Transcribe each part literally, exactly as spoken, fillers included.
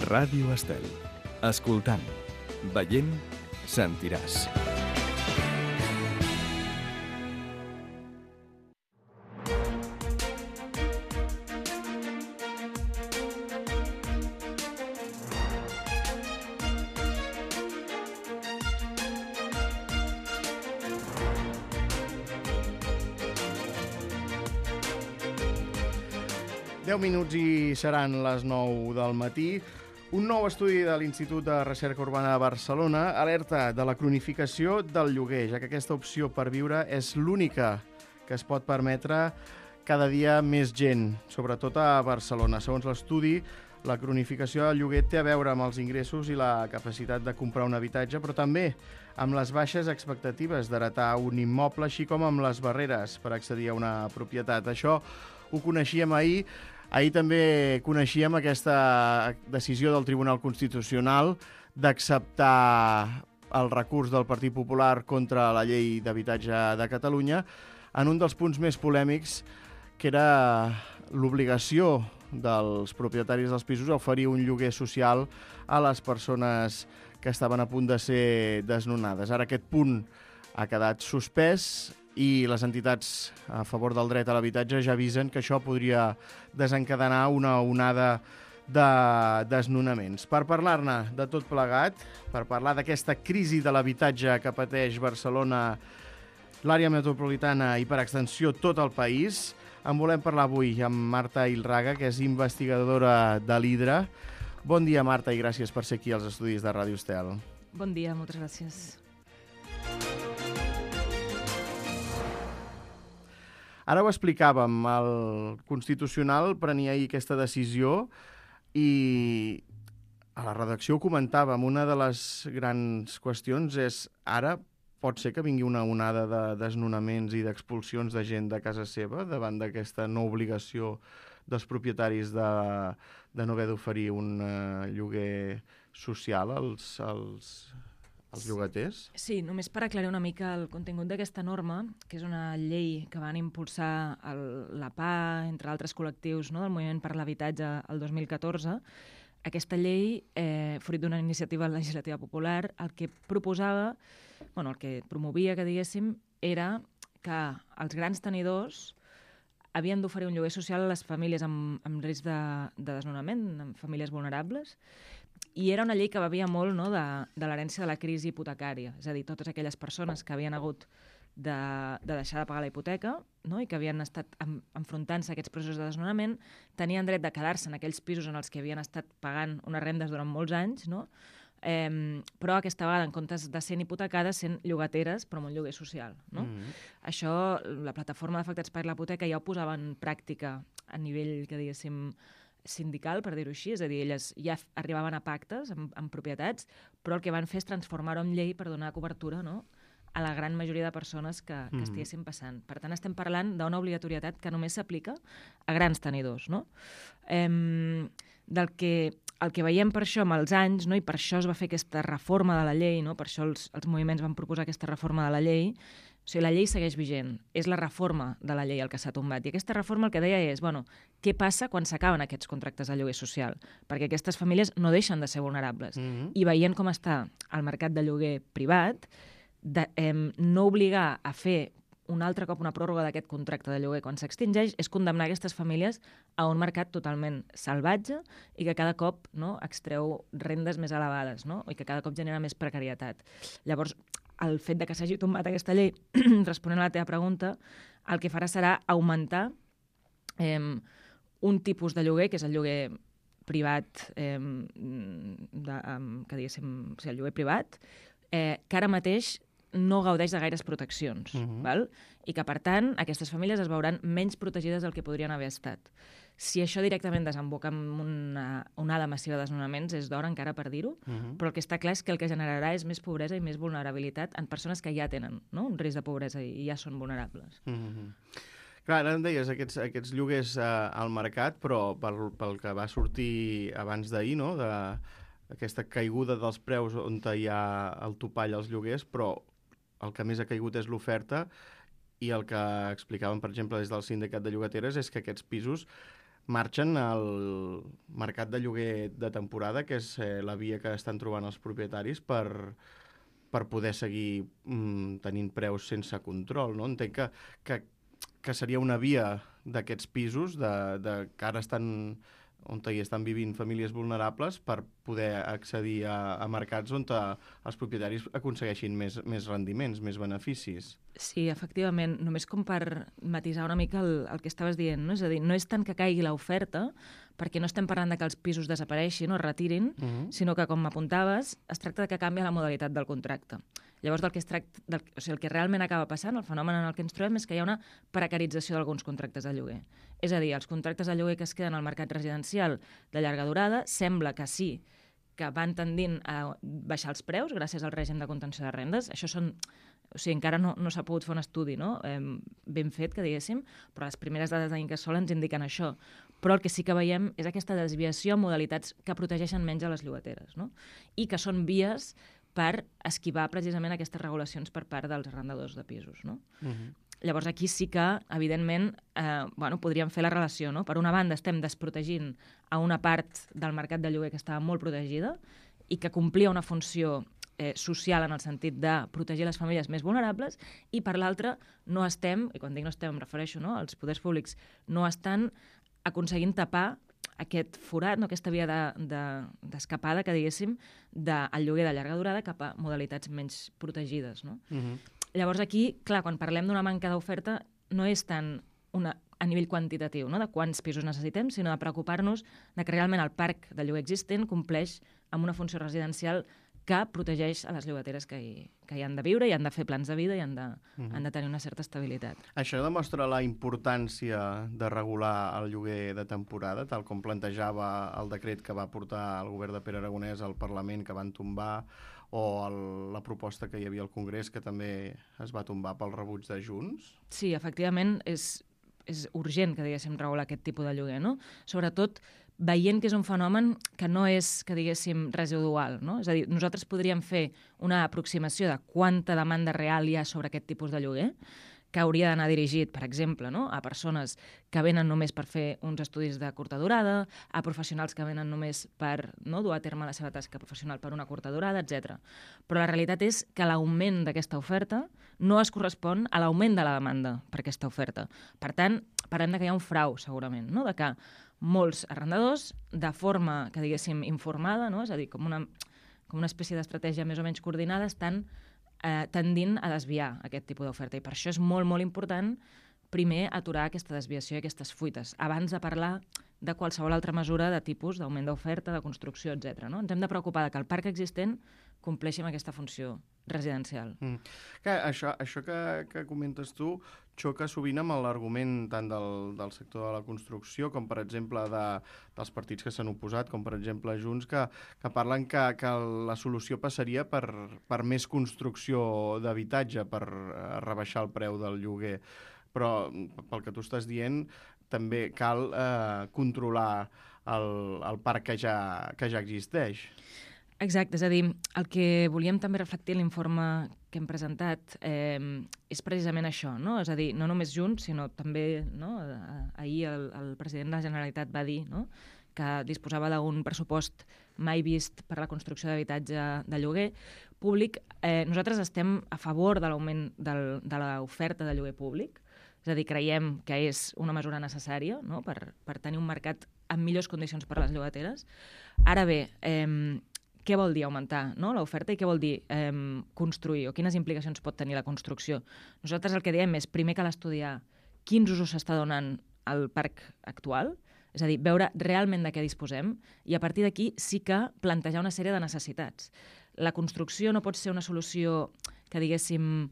Ràdio Estel. Escoltant, veient, sentiràs. deu minuts i seran les nou del matí. Un nou estudi de l'Institut de Recerca Urbana de Barcelona alerta de la cronificació del lloguer, ja que aquesta opció per viure és l'única que es pot permetre cada dia més gent, sobretot a Barcelona. Segons l'estudi, la cronificació del lloguer té a veure amb els ingressos i la capacitat de comprar un habitatge, però també amb les baixes expectatives d'heretar un immoble, així com amb les barreres per accedir a una propietat. Això ho coneixíem ahir. Ahir també coneixíem aquesta decisió del Tribunal Constitucional d'acceptar el recurs del Partit Popular contra la llei d'habitatge de Catalunya en un dels punts més polèmics, que era l'obligació dels propietaris dels pisos a oferir un lloguer social a les persones que estaven a punt de ser desnonades. Ara aquest punt ha quedat suspès i les entitats a favor del dret a l'habitatge ja avisen que això podria desencadenar una onada de desnonaments. Per parlar-ne de tot plegat, per parlar d'aquesta crisi de l'habitatge que pateix Barcelona, l'àrea metropolitana i per extensió tot el país, en volem parlar avui amb Marta Ilraga, que és investigadora de l'Hidra. Bon dia, Marta, i gràcies per ser aquí als estudis de Ràdio Estel. Bon dia, moltes gràcies. Ara ho explicàvem, el Constitucional prenia ahir aquesta decisió i a la redacció ho comentàvem. Una de les grans qüestions és ara pot ser que vingui una onada de desnonaments i d'expulsions de gent de casa seva davant d'aquesta no obligació dels propietaris de, de no haver d'oferir un uh, lloguer social als, als, als llogaters? Sí, només per aclarir una mica el contingut d'aquesta norma, que és una llei que van impulsar el, la P A, entre altres col·lectius, no, del Moviment per l'Habitatge el dos mil catorze. Aquesta llei, eh, fruit d'una iniciativa legislativa popular, el que proposava, bueno, el que promovia, que diguéssim, era que els grans tenidors havien d'oferir un lloguer social a les famílies amb, amb risc de, de desnonament, amb famílies vulnerables, i era una llei que bevia molt, no, de, de l'herència de la crisi hipotecària, és a dir, totes aquelles persones que havien hagut de, de deixar de pagar la hipoteca, no, i que havien estat en, enfrontant-se a aquests processos de desnonament, tenien dret de quedar-se en aquells pisos en els que havien estat pagant unes rendes durant molts anys, no? Eh, però aquesta vegada, en comptes de ser hipotecades, sent llogateres, però amb un lloguer social. No? Mm-hmm. Això, la plataforma d'afectats per la hipoteca ja ho posava en pràctica a nivell, que diguéssim, sindical, per dir-ho així, és a dir, elles ja arribaven a pactes amb, amb propietats, però el que van fer és transformar-ho en llei per donar cobertura, no?, a la gran majoria de persones que, que mm. estiguessin passant. Per tant, estem parlant d'una obligatorietat que només s'aplica a grans tenidors, no? Ehm, del que, el que veiem per això amb els anys, no? I per això es va fer aquesta reforma de la llei, no? Per això els, els moviments van proposar aquesta reforma de la llei. O sigui, la llei segueix vigent. És la reforma de la llei el que s'ha tombat. I aquesta reforma el que deia és, bueno, què passa quan s'acaben aquests contractes de lloguer social? Perquè aquestes famílies no deixen de ser vulnerables. Mm-hmm. I veient com està el mercat de lloguer privat, de, eh, no obligar a fer un altre cop una pròrroga d'aquest contracte de lloguer quan s'extingeix és condemnar aquestes famílies a un mercat totalment salvatge i que cada cop, no, extreu rendes més elevades, no? I que cada cop genera més precarietat. Llavors, el fet de que s'hagi tombat aquesta llei, responent a la teva pregunta, el que farà serà augmentar eh, un tipus de lloguer, que és el lloguer privat, eh, de, eh, que diguéssim, o sigui, el lloguer privat, eh, que ara mateix no gaudeix de gaires proteccions, uh-huh. val? I que, per tant, aquestes famílies es veuran menys protegides del que podrien haver estat. Si això directament desemboca en una onada massiva de desnonaments, és d'hora encara per dir-ho, uh-huh. però el que està clar és que el que generarà és més pobresa i més vulnerabilitat en persones que ja tenen, no?, un risc de pobresa i ja són vulnerables. Uh-huh. Clar, ara em deies aquests, aquests lloguers eh, al mercat, però pel, pel que va sortir abans d'ahir, no?, de aquesta caiguda dels preus on hi ha el topall als lloguers, però el que més ha caigut és l'oferta, i el que explicaven, per exemple, des del sindicat de llogateres és que aquests pisos marxen al mercat de lloguer de temporada, que és eh, la via que estan trobant els propietaris per, per poder seguir mm, tenint preus sense control, no? Entenc que, que, que seria una via d'aquests pisos de, de, que ara estan on hi estan vivint famílies vulnerables per poder accedir a, a mercats on a, els propietaris aconsegueixin més, més rendiments, més beneficis. Sí, efectivament, només com per matisar una mica el, el que estaves dient, no? És a dir, no és tant que caigui l'oferta, perquè no estem parlant de que els pisos desapareixin o es retirin, uh -huh. sinó que, com apuntaves, es tracta de que canvia la modalitat del contracte. Llavors, del que es tracta, del, o sigui, el que realment acaba passant, el fenomen en el que ens trobem, és que hi ha una precarització d'alguns contractes de lloguer. És a dir, els contractes de lloguer que es queden al mercat residencial de llarga durada sembla que sí, que van tendint a baixar els preus gràcies al règim de contenció de rendes. Això són... O sigui, encara no, no s'ha pogut fer un estudi, no? eh, ben fet, que diguéssim, però les primeres dades d'Incasòl ens indiquen això. Però el que sí que veiem és aquesta desviació en modalitats que protegeixen menys a les llogateres, no? I que són vies per esquivar precisament aquestes regulacions per part dels arrendadors de pisos, no? Uh-huh. Llavors aquí sí que, evidentment, eh, bueno, podríem fer la relació, no? Per una banda estem desprotegint a una part del mercat de lloguer que estava molt protegida i que complia una funció eh, social en el sentit de protegir les famílies més vulnerables, i per l'altra no estem, i quan dic no estem em refereixo, no? Els poders públics no estan aconseguint tapar aquest forat, no? Aquesta via d'escapada, de, de, que diguéssim, del lloguer de llarga durada cap a modalitats menys protegides, no? Uh-huh. Llavors aquí, clar, quan parlem d'una manca d'oferta, no és tant una, a nivell quantitatiu, no? De quants pisos necessitem, sinó de preocupar-nos de que realment el parc de lloguer existent compleix amb una funció residencial que protegeix a les llogateres que hi, que hi han de viure, i han de fer plans de vida i han de, uh-huh. han de tenir una certa estabilitat. Això demostra la importància de regular el lloguer de temporada, tal com plantejava el decret que va portar el govern de Pere Aragonès al Parlament, que van tombar, o el, la proposta que hi havia al Congrés, que també es va tombar pel rebuig de Junts? Sí, efectivament, és, és urgent que diguéssim regular aquest tipus de lloguer, no? Sobretot veient que és un fenomen que no és, que diguéssim, residual, no? És a dir, nosaltres podríem fer una aproximació de quanta demanda real hi ha sobre aquest tipus de lloguer, que hauria d'anar dirigit, per exemple, no? A persones que venen només per fer uns estudis de curta durada, a professionals que venen només per, no, dur a terme la seva tasca professional per una curta durada, etcètera. Però la realitat és que l'augment d'aquesta oferta no es correspon a l'augment de la demanda per aquesta oferta. Per tant, parlem de que hi ha un frau, segurament, no? De que molts arrendadors, de forma, que diguéssim, informada, no? És a dir, com una, com una espècie d'estratègia més o menys coordinada, estan eh, tendint a desviar aquest tipus d'oferta. I per això és molt, molt important, primer, aturar aquesta desviació i aquestes fuites, abans de parlar de qualsevol altra mesura de tipus d'augment d'oferta, de construcció, etcètera. No? Ens hem de preocupar que el parc existent compleixi amb aquesta funció residencial. Mm. Que això això que, que comentes tu xoca sovint amb l'argument tant del, del sector de la construcció com, per exemple, de, dels partits que s'han oposat, com, per exemple, Junts, que, que parlen que, que la solució passaria per, per més construcció d'habitatge, per rebaixar el preu del lloguer. Però, pel que tu estàs dient, també cal eh, controlar el, el parc que ja, que ja existeix. Exacte, és a dir, el que volíem també reflectir en l'informe que hem presentat eh, és precisament això, no? És a dir, no només Junts, sinó també, no? Ahir el, el president de la Generalitat va dir, no?, que disposava d'un pressupost mai vist per a la construcció d'habitatge de lloguer públic. Eh, nosaltres estem a favor de l'augment del, de l'oferta de lloguer públic, és a dir, creiem que és una mesura necessària, no?, per, per tenir un mercat amb millors condicions per a les llogateres. Ara bé, eh, què vol dir augmentar, no?, l'oferta, i què vol dir eh, construir, o quines implicacions pot tenir la construcció? Nosaltres el que diem és, primer cal estudiar quins usos s'està donant al parc actual, és a dir, veure realment de què disposem, i a partir d'aquí sí que plantejar una sèrie de necessitats. La construcció no pot ser una solució que, diguéssim,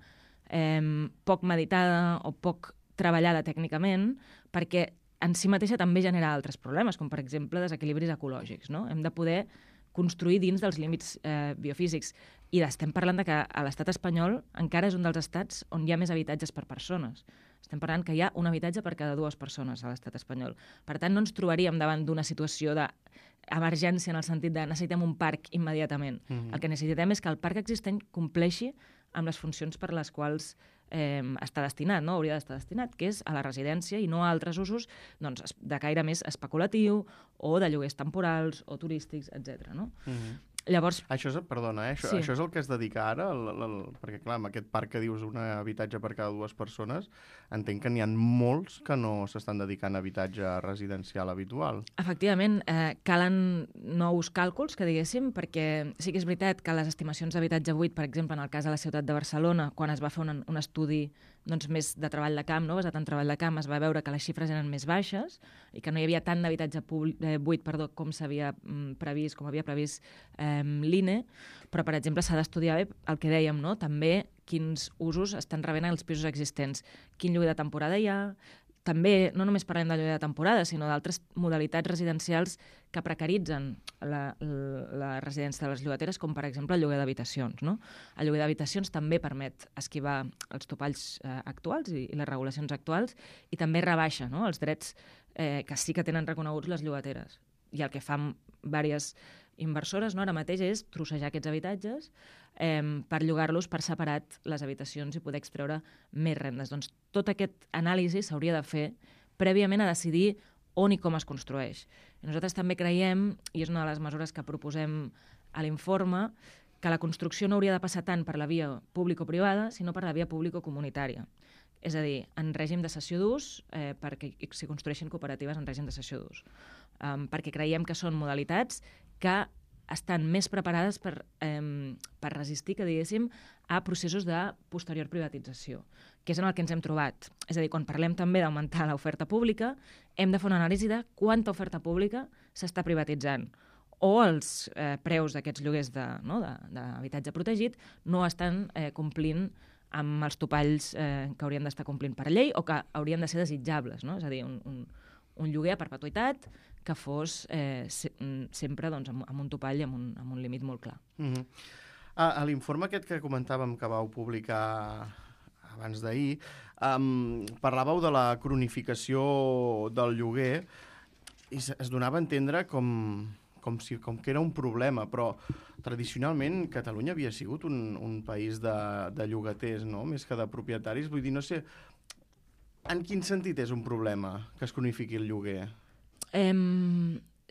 eh, poc meditada o poc treballada tècnicament, perquè en si mateixa també genera altres problemes, com per exemple desequilibris ecològics, no? Hem de poder construir dins dels límits eh, biofísics. I estem parlant de que a l'estat espanyol encara és un dels estats on hi ha més habitatges per persones. Estem parlant que hi ha un habitatge per cada dues persones a l'estat espanyol. Per tant, no ens trobaríem davant d'una situació d'emergència en el sentit de necessitem un parc immediatament. Mm-hmm. El que necessitem és que el parc existent compleixi amb les funcions per les quals eh, està destinat, no? Hauria d'estar destinat, que és a la residència i no a altres usos doncs, de caire més especulatiu o de lloguers temporals o turístics, etcètera. No? Mm-hmm. Llavors... Això és, perdona, eh? això, sí. això és el que es dedica ara? El, el, el, perquè, clar, amb aquest parc que dius un habitatge per cada dues persones, entenc que n'hi ha molts que no s'estan dedicant a habitatge residencial habitual. Efectivament, eh, calen nous càlculs, que diguéssim, perquè sí que és veritat que les estimacions d'habitatge buit, per exemple, en el cas de la ciutat de Barcelona, quan es va fer un, un estudi doncs, més de treball de camp, no? basat en treball de camp, es va veure que les xifres eren més baixes i que no hi havia tant d'habitatge eh, buit perdó, com s'havia mm, previst, com havia previst eh, l'I N E, però, per exemple, s'ha d'estudiar bé el que dèiem, no? també quins usos estan rebent els pisos existents, quin lloguer de temporada hi ha, també no només parlem de lloguer de temporada, sinó d'altres modalitats residencials que precaritzen la, la, la residència de les llogateres, com per exemple el lloguer d'habitacions. No? El lloguer d'habitacions també permet esquivar els topalls eh, actuals i, i les regulacions actuals i també rebaixa no? els drets eh, que sí que tenen reconeguts les llogateres. I el que fan diverses inversores no? ara mateix és trossejar aquests habitatges eh, per llogar-los per separat les habitacions i poder extreure més rendes. Doncs tot aquest anàlisi s'hauria de fer prèviament a decidir on i com es construeix. I nosaltres també creiem, i és una de les mesures que proposem a l'informe, que la construcció no hauria de passar tant per la via público-privada, sinó per la via público-comunitària. És a dir, en règim de cessió d'ús, eh, perquè s'hi construeixin cooperatives en règim de cessió d'ús. Um, perquè creiem que són modalitats que estan més preparades per, eh, per resistir, que diguéssim, a processos de posterior privatització, que és en el que ens hem trobat. És a dir, quan parlem també d'augmentar l'oferta pública, hem de fer una anàlisi de quanta oferta pública s'està privatitzant o els eh, preus d'aquests lloguers de, no, d'habitatge protegit no estan eh, complint amb els topalls eh, que haurien d'estar complint per llei o que haurien de ser desitjables. No? És a dir, un, un, un lloguer a perpetuïtat que fos eh, se, sempre doncs, amb, amb un topall i amb un, amb un límit molt clar. Mm-hmm. A, a l'informe aquest que comentàvem que vau publicar abans d'ahir, um, parlàveu de la cronificació del lloguer i es donava a entendre com, com, si, com que era un problema, però tradicionalment Catalunya havia sigut un, un país de, de llogaters, no? Més que de propietaris. Vull dir, no sé, en quin sentit és un problema que es cronifiqui el lloguer? Eh,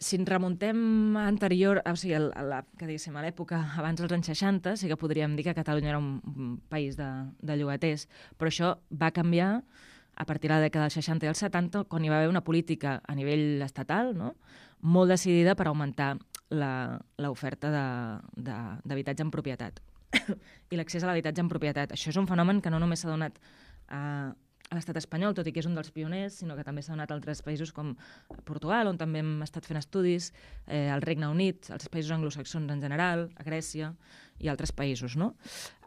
si ens remuntem a anterior, o sigui, a, la, que diguéssim, a l'època abans dels anys seixanta, sí que podríem dir que Catalunya era un, un país de, de llogaters, però això va canviar a partir de la dècada dels seixanta i els setanta, quan hi va haver una política a nivell estatal, no? molt decidida per augmentar l'oferta d'habitatge en propietat i l'accés a l'habitatge en propietat. Això és un fenomen que no només s'ha donat a, a l'estat espanyol, tot i que és un dels pioners, sinó que també s'ha donat a altres països com Portugal, on també hem estat fent estudis, eh, al Regne Unit, als països anglosaxons en general, a Grècia i altres països. No?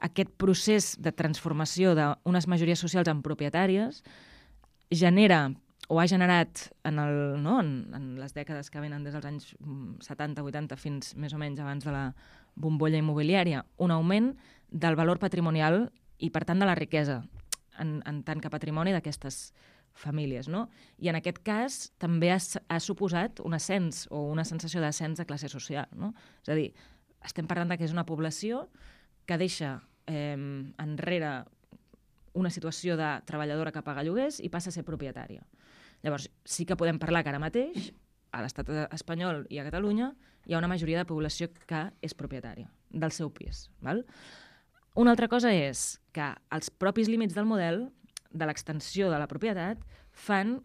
Aquest procés de transformació d'unes majories socials en propietàries genera o ha generat en, el, no, en, en les dècades que venen des dels anys setanta vuitanta fins més o menys abans de la bombolla immobiliària, un augment del valor patrimonial i, per tant, de la riquesa en, en tant que patrimoni d'aquestes famílies. No? I en aquest cas també ha, ha suposat un ascens o una sensació d'ascens de classe social. No? És a dir, estem parlant que és una població que deixa eh, enrere una situació de treballadora que paga lloguers i passa a ser propietària. Llavors, sí que podem parlar que ara mateix, a l'estat espanyol i a Catalunya, hi ha una majoria de població que és propietària del seu pis. Val? Una altra cosa és que els propis límits del model, de l'extensió de la propietat, fan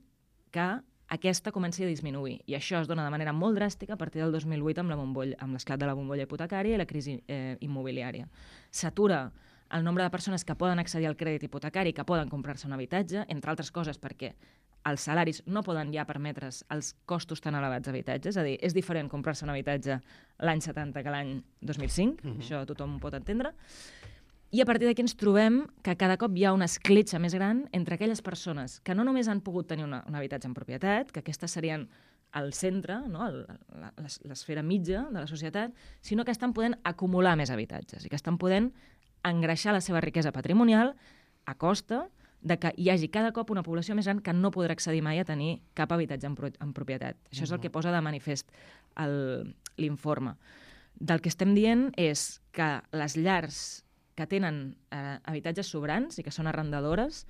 que aquesta comenci a disminuir. I això es dona de manera molt dràstica a partir del dos mil vuit amb l'esclat de la bombolla hipotecària i la crisi eh, immobiliària. S'atura el nombre de persones que poden accedir al crèdit hipotecari, que poden comprar-se un habitatge, entre altres coses perquè els salaris no poden ja permetre's els costos tan elevats d'habitatges. És a dir, és diferent comprar-se un habitatge l'any setanta que l'any dos mil cinc, uh-huh. Això tothom ho pot entendre. I a partir d'aquí ens trobem que cada cop hi ha una escletxa més gran entre aquelles persones que no només han pogut tenir una, un habitatge en propietat, que aquestes serien al centre, no? l'esfera mitja de la societat, sinó que estan podent acumular més habitatges i que estan podent engreixar la seva riquesa patrimonial a costa de que hi hagi cada cop una població més gran que no podrà accedir mai a tenir cap habitatge en, pro en propietat. Això uh-huh. és el que posa de manifest l'informe. Del que estem dient és que les llars que tenen eh, habitatges sobrants i que són arrendadores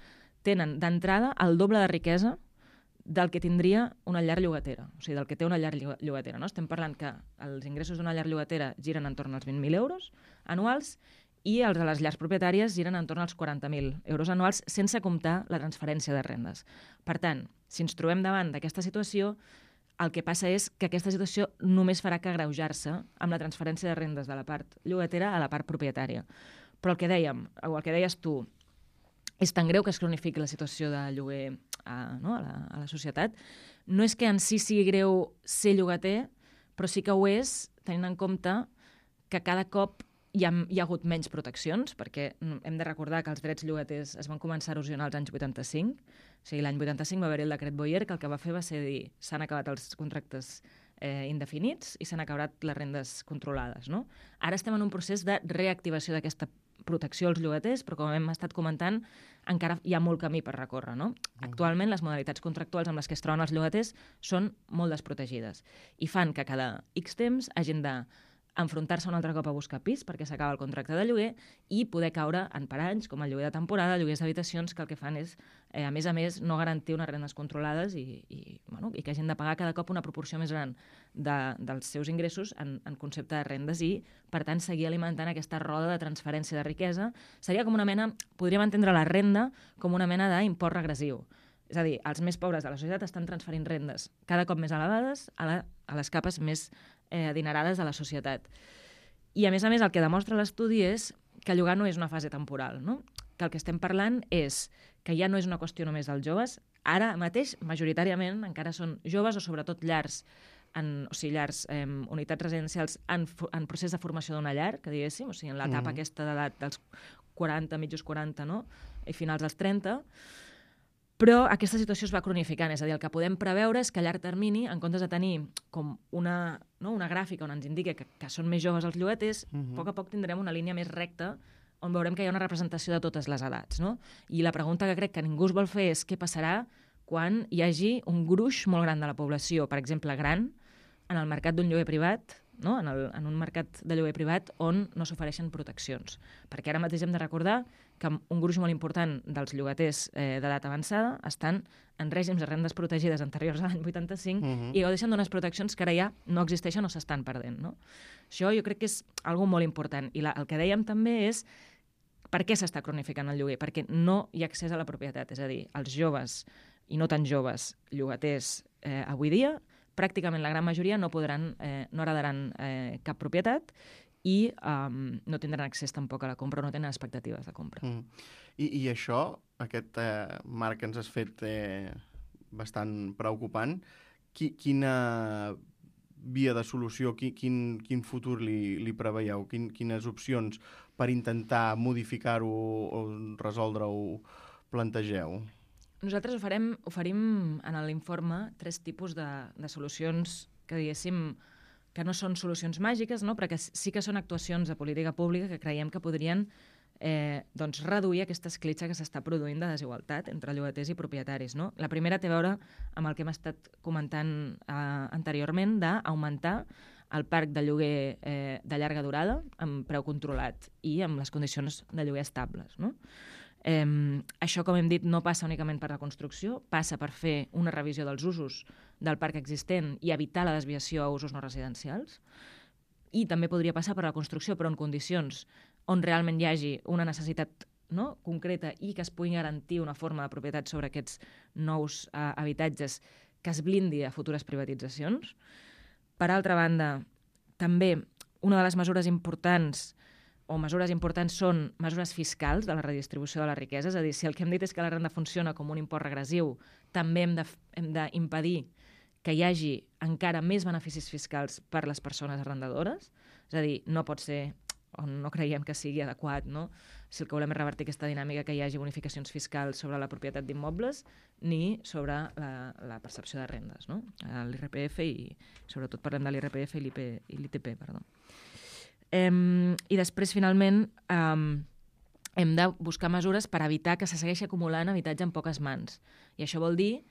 tenen d'entrada el doble de riquesa del que tindria una llar llogatera, o sigui, del que té una llar llogatera. No? Estem parlant que els ingressos d'una llar llogatera giren entorn als vint mil euros anuals i els de les llars propietàries giren entorn als quaranta mil euros anuals sense comptar la transferència de rendes. Per tant, si ens trobem davant d'aquesta situació, el que passa és que aquesta situació només farà que agreujar-se amb la transferència de rendes de la part llogatera a la part propietària. Però el que dèiem, o el que deies tu, és tan greu que es cronifiqui la situació de lloguer a, no, a, la, a la societat. No és que en si sigui greu ser llogater, però sí que ho és tenint en compte que cada cop hi ha, hi ha hagut menys proteccions, perquè hem de recordar que els drets llogaters es van començar a erosionar als anys vuitanta-cinc. O sigui, l'any vuitanta-cinc va haver-hi el decret Boyer, que el que va fer va ser dir s'han acabat els contractes eh, indefinits i s'han acabat les rendes controlades. No? Ara estem en un procés de reactivació d'aquesta protecció als llogaters, però com hem estat comentant, encara hi ha molt camí per recórrer. No? Actualment, les modalitats contractuals amb les que es troben els llogaters són molt desprotegides i fan que cada X temps hagin de enfrontar-se un altre cop a buscar pis perquè s'acaba el contracte de lloguer i poder caure en paranys, com el lloguer de temporada, lloguers d'habitacions, que el que fan és, eh, a més a més, no garantir unes rendes controlades i, i, bueno, i que hagin de pagar cada cop una proporció més gran de, dels seus ingressos en, en concepte de rendes i, per tant, seguir alimentant aquesta roda de transferència de riquesa. Seria com una mena, podríem entendre la renda com una mena d'import regressiu. És a dir, els més pobres de la societat estan transferint rendes cada cop més elevades a, la, a les capes més eh, adinerades de la societat. I, a més a més, el que demostra l'estudi és que llogar no és una fase temporal, no? Que el que estem parlant és que ja no és una qüestió només dels joves. Ara mateix, majoritàriament, encara són joves o sobretot llars, en, o sigui, llars, eh, unitats residencials en, en procés de formació d'una llar, que diguéssim, o sigui, en l'etapa mm. aquesta d'edat dels quaranta, mitjos quaranta, no? I finals dels trenta. Però aquesta situació es va cronificant, és a dir, el que podem preveure és que a llarg termini, en comptes de tenir com una, no, una gràfica on ens indica que, que són més joves els llogaters, uh-huh. a poc a poc tindrem una línia més recta on veurem que hi ha una representació de totes les edats. No? I la pregunta que crec que ningú es vol fer és què passarà quan hi hagi un gruix molt gran de la població, per exemple, gran, en el mercat d'un lloguer privat, no? en, el, en un mercat de lloguer privat on no s'ofereixen proteccions. Perquè ara mateix hem de recordar que un gruix molt important dels llogaters eh, d'edat avançada estan en règims de rendes protegides anteriors a l'any vuitanta-cinc uh-huh. i gaudeixen d'unes proteccions que ara ja no existeixen o s'estan perdent. No? Això jo crec que és algo molt important. I la, el que dèiem també és per què s'està cronificant el lloguer? Perquè no hi ha accés a la propietat. És a dir, els joves i no tan joves llogaters eh, avui dia, pràcticament la gran majoria no podran, eh, no heredaran eh, cap propietat i um, no tindran accés tampoc a la compra, no tenen expectatives de compra. Mm. I, I això, aquest eh, marc que ens has fet eh, bastant preocupant, qui, quina via de solució, qui, quin, quin futur li, li preveieu? Quin, quines opcions per intentar modificar-ho o resoldre-ho plantegeu? Nosaltres oferem, oferim en l'informe tres tipus de, de solucions que, diguéssim, que no són solucions màgiques, no? Però que sí que són actuacions de política pública que creiem que podrien eh, doncs reduir aquesta escletxa que s'està produint de desigualtat entre llogaters i propietaris. No? La primera té a veure amb el que hem estat comentant eh, anteriorment, d'augmentar el parc de lloguer eh, de llarga durada amb preu controlat i amb les condicions de lloguer estables. No? Eh, això, com hem dit, no passa únicament per la construcció, passa per fer una revisió dels usos del parc existent i evitar la desviació a usos no residencials. I també podria passar per la construcció, però en condicions on realment hi hagi una necessitat, no?, concreta i que es pugui garantir una forma de propietat sobre aquests nous eh, habitatges que es blindi a futures privatitzacions. Per altra banda, també una de les mesures importants o mesures importants són mesures fiscals de la redistribució de la riquesa, és a dir, si el que hem dit és que la renda funciona com un import regressiu, també hem de, hem d'impedir que hi hagi encara més beneficis fiscals per les persones arrendadores, és a dir, no pot ser, o no creiem que sigui adequat, no? Si el que volem és revertir aquesta dinàmica, que hi hagi bonificacions fiscals sobre la propietat d'immobles ni sobre la, la percepció de rendes, no? L'I R P F i, sobretot parlem de l'I R P F i l'I T P, perdó. Um, I després, finalment, um, hem de buscar mesures per evitar que se segueixi acumulant habitatge en poques mans. I això vol dir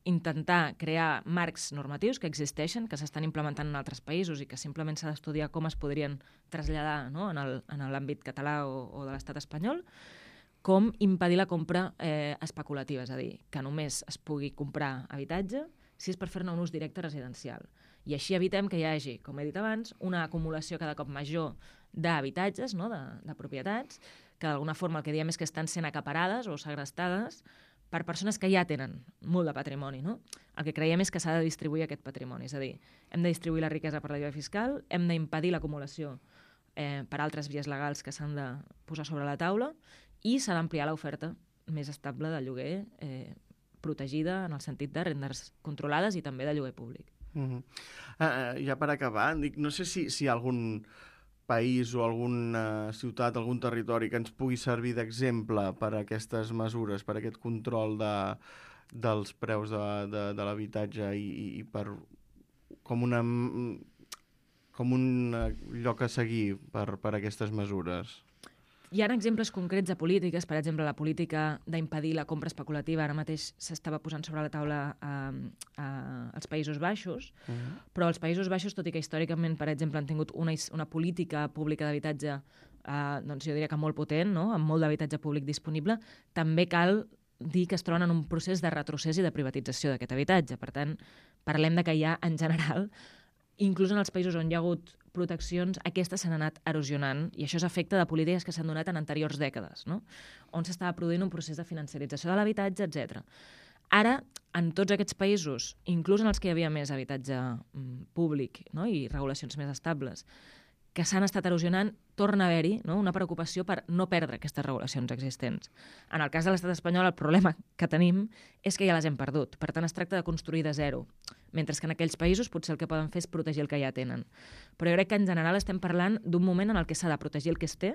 intentar crear marcs normatius que existeixen, que s'estan implementant en altres països i que simplement s'ha d'estudiar com es podrien traslladar, no?, en l'àmbit català o, o de l'estat espanyol, com impedir la compra eh, especulativa, és a dir, que només es pugui comprar habitatge si és per fer-ne un ús directe residencial. I així evitem que hi hagi, com he dit abans, una acumulació cada cop major d'habitatges, no?, de, de propietats, que d'alguna forma el que diem és que estan sent acaparades o segrestades per persones que ja tenen molt de patrimoni, no? El que creiem és que s'ha de distribuir aquest patrimoni, és a dir, hem de distribuir la riquesa per la via fiscal, hem d'impedir l'acumulació eh, per altres vies legals que s'han de posar sobre la taula i s'ha d'ampliar l'oferta més estable de lloguer eh, protegida en el sentit de rendes controlades i també de lloguer públic. Uh-huh. uh, ja per acabar, dic, no sé si, si hi ha algun país o alguna ciutat, algun territori que ens pugui servir d'exemple per a aquestes mesures, per a aquest control de, dels preus de, de, de l'habitatge i, i per com una com un lloc a seguir per, per a aquestes mesures. Hi ha exemples concrets de polítiques, per exemple, la política d'impedir la compra especulativa ara mateix s'estava posant sobre la taula a, a, als Països Baixos, uh-huh. però els Països Baixos, tot i que històricament, per exemple, han tingut una, una política pública d'habitatge, eh, doncs jo diria que molt potent, no?, amb molt d'habitatge públic disponible, també cal dir que es troben en un procés de retrocés i de privatització d'aquest habitatge. Per tant, parlem de que hi ha, en general, inclús en els països on hi ha hagut proteccions, aquestes s'han anat erosionant i això és efecte de polítiques que s'han donat en anteriors dècades, no?, on s'estava produint un procés de financiarització de l'habitatge, etcètera. Ara, en tots aquests països, inclús en els que hi havia més habitatge mm, públic, no?, i regulacions més estables, que s'han estat erosionant, torna a haver-hi, no?, una preocupació per no perdre aquestes regulacions existents. En el cas de l'estat espanyol, el problema que tenim és que ja les hem perdut. Per tant, es tracta de construir de zero, mentre que en aquells països potser el que poden fer és protegir el que ja tenen. Però jo crec que en general estem parlant d'un moment en el que s'ha de protegir el que es té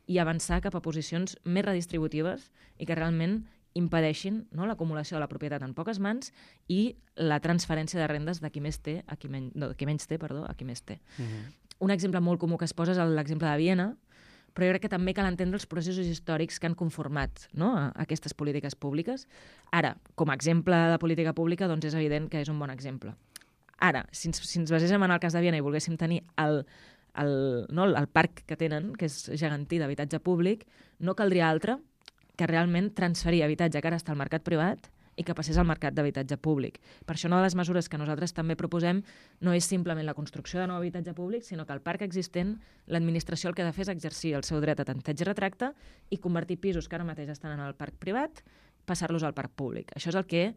i avançar cap a posicions més redistributives i que realment impedeixin, no?, l'acumulació de la propietat en poques mans i la transferència de rendes de qui més té a qui, men no, de qui menys té, perdó, a qui més té. Uh-huh. Un exemple molt comú que es posa és l'exemple de Viena, però jo crec que també cal entendre els processos històrics que han conformat, no?, a aquestes polítiques públiques. Ara, com a exemple de política pública, doncs és evident que és un bon exemple. Ara, si ens, si ens baséssim en el cas de Viena i volguéssim tenir el, el, no, el parc que tenen, que és gegantí d'habitatge públic, no caldria altre que realment transferir habitatge que ara està al mercat privat i que passés al mercat d'habitatge públic. Per això una de les mesures que nosaltres també proposem no és simplement la construcció de nou habitatge públic, sinó que el parc existent, l'administració el que ha de fer és exercir el seu dret a tanteig i retracte i convertir pisos que ara mateix estan en el parc privat, passar-los al parc públic. Això és el que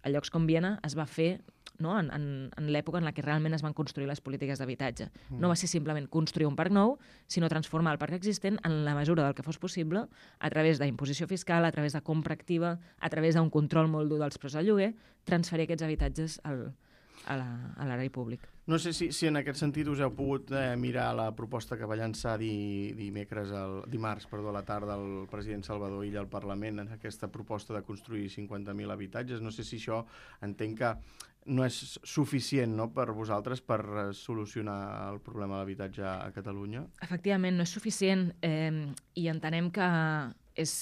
a llocs com Viena es va fer, no?, en, en, en l'època en la que realment es van construir les polítiques d'habitatge. Mm. No va ser simplement construir un parc nou, sinó transformar el parc existent en la mesura del que fos possible a través d'imposició fiscal, a través de compra activa, a través d'un control molt dur dels preus del lloguer, transferir aquests habitatges al, a l'erari públic. No sé si, si en aquest sentit us heu pogut eh, mirar la proposta que va llançar di, dimecres, el, dimarts perdó, a la tarda el president Salvador Illa al Parlament en aquesta proposta de construir cinquanta mil habitatges. No sé si això entenc que no és suficient, no?, per vosaltres per solucionar el problema de l'habitatge a Catalunya. Efectivament, no és suficient eh, i entenem que és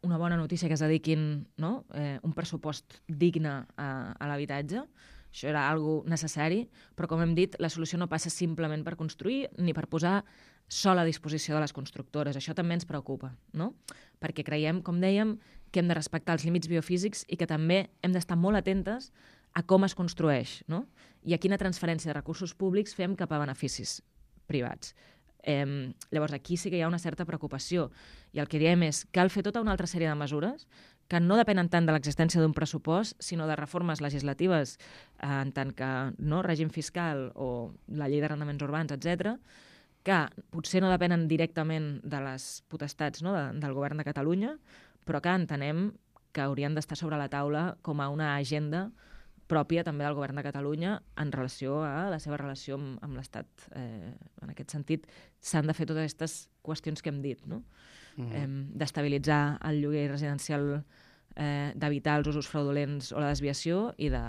una bona notícia que es dediquin, no?, eh, un pressupost digne a, a l'habitatge. Això era algo necessari, però com hem dit, la solució no passa simplement per construir ni per posar sol a disposició de les constructores. Això també ens preocupa, no?, perquè creiem, com dèiem, que hem de respectar els límits biofísics i que també hem d'estar molt atentes a com es construeix, no?, i a quina transferència de recursos públics fem cap a beneficis privats. Eh, llavors, aquí sí que hi ha una certa preocupació i el que diem és que cal fer tota una altra sèrie de mesures que no depenen tant de l'existència d'un pressupost, sinó de reformes legislatives eh, en tant que no, règim fiscal o la llei d'arrendaments urbans, etcètera, que potser no depenen directament de les potestats, no, de, del govern de Catalunya, però que entenem que haurien d'estar sobre la taula com a una agenda pròpia també del govern de Catalunya en relació a la seva relació amb, amb l'Estat. Eh, en aquest sentit, s'han de fer totes aquestes qüestions que hem dit, no? Mm-hmm. eh, d'estabilitzar el lloguer residencial, eh, d'evitar els usos fraudulents o la desviació i de,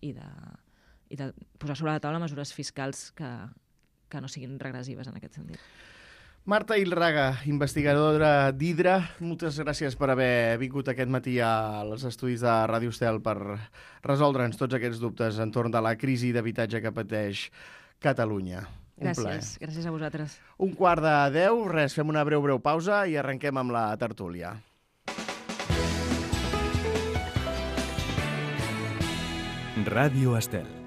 i de, i de posar sobre la taula mesures fiscals que, que no siguin regressives en aquest sentit. Marta Ilraga, investigadora d'Hidra, moltes gràcies per haver vingut aquest matí als estudis de Ràdio Estel per resoldre'ns tots aquests dubtes entorn de la crisi d'habitatge que pateix Catalunya. Un Gràcies, plaer. gràcies a vosaltres. Un quart de deu, res, fem una breu, breu pausa i arrenquem amb la tertúlia. Ràdio Estel.